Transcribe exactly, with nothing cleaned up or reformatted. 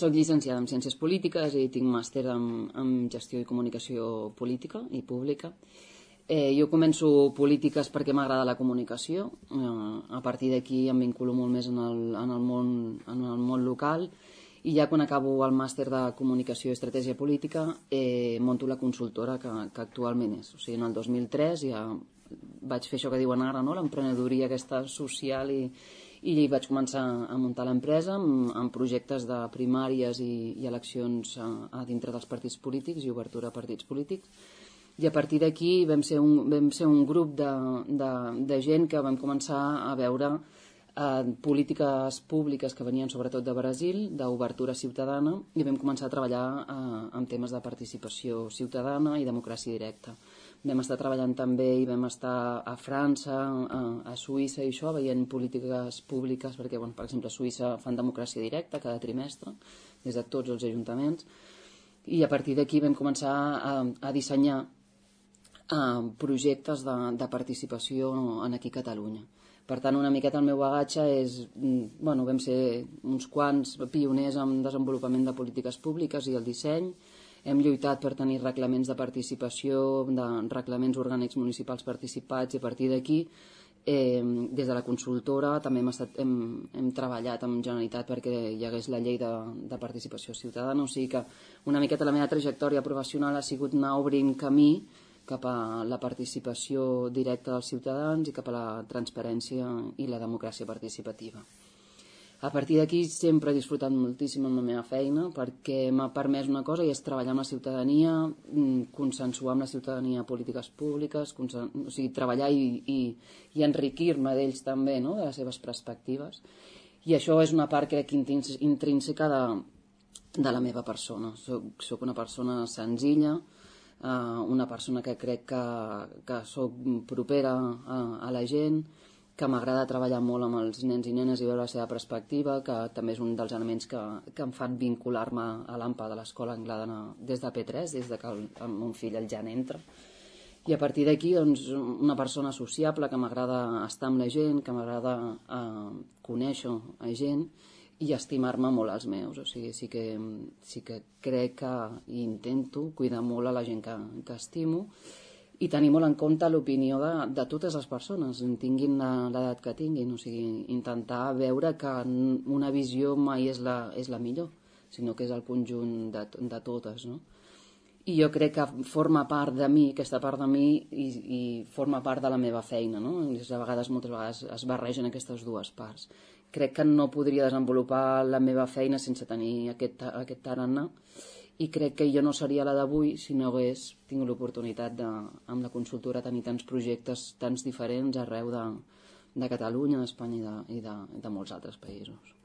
Soc llicenciada en Ciències Polítiques i tinc màster en, en Gestió i Comunicació Política i Pública. Eh, jo començo polítiques perquè m'agrada la comunicació. Eh, a partir d'aquí em vinculo molt més en el, en el, món, en el món local, i ja quan acabo el màster de Comunicació i Estratègia Política eh, monto la consultora que, que actualment és. O sigui, en el dos mil tres ja vaig fer això que diuen ara, no? L'emprenedoria aquesta social, i, i vaig començar a muntar l'empresa amb, amb projectes de primàries i, i eleccions a, a dintre dels partits polítics i obertura a partits polítics. I a partir d'aquí vam, ser un, vam ser un grup de, de, de gent que vam començar a veure eh, polítiques públiques que venien sobretot de Brasil, d'obertura ciutadana, i vam començar a treballar eh, en temes de participació ciutadana i democràcia directa. Vam estar treballant també i vam estar a França, a, a Suïssa i això, veient polítiques públiques, perquè, bueno, per exemple, a Suïssa fan democràcia directa cada trimestre, des de tots els ajuntaments, i a partir d'aquí vam començar a, a dissenyar a projectes de, de participació en aquí a Catalunya. Per tant, una miqueta el meu bagatge és... Bueno, vam ser uns quants pioners en desenvolupament de polítiques públiques i el disseny. Hem lluitat per tenir reglaments de participació, de reglaments orgànics municipals participats, i a partir d'aquí, eh, des de la consultora, també hem, estat, hem, hem treballat amb Generalitat perquè hi hagués la llei de, de participació ciutadana. O sigui que una miqueta la meva trajectòria professional ha sigut anar obrint camí cap a la participació directa dels ciutadans i cap a la transparència i la democràcia participativa. A partir d'aquí sempre he disfrutat moltíssim amb la meva feina perquè m'ha permès una cosa, i és treballar amb la ciutadania, consensuar amb la ciutadania polítiques públiques, consen... o sigui, treballar i, i, i enriquir-me d'ells també, no?, de les seves perspectives. I això és una part, crec, intrínseca de, de la meva persona. Soc, soc una persona senzilla, Uh, una persona que crec que, que soc propera a, a la gent, que m'agrada treballar molt amb els nens i nenes i veure la seva perspectiva, que també és un dels elements que, que em fan vincular-me a l'A M P A de l'Escola Anglada des de P tres, des de que el, el meu fill el Jan entra. I a partir d'aquí, doncs, una persona sociable, que m'agrada estar amb la gent, que m'agrada uh, conèixer a gent i estimar-me molt als meus. O sigui, sí que, sí que crec que intento cuidar molt a la gent que, que estimo i tenir molt en compte l'opinió de, de totes les persones, tinguin l'edat que tinguin. O sigui, intentar veure que una visió mai és la, és la millor, sinó que és el conjunt de, de totes, no? I jo crec que forma part de mi, aquesta part de mi, i, i forma part de la meva feina, no? A vegades, moltes vegades es barregen aquestes dues parts. Crec que no podria desenvolupar la meva feina sense tenir aquest, aquest tarannà, i crec que jo no seria la d'avui si no hagués tingut l'oportunitat de, amb la consultora, tenir tants projectes tants diferents arreu de, de Catalunya, d'Espanya i, de, i de, de molts altres països.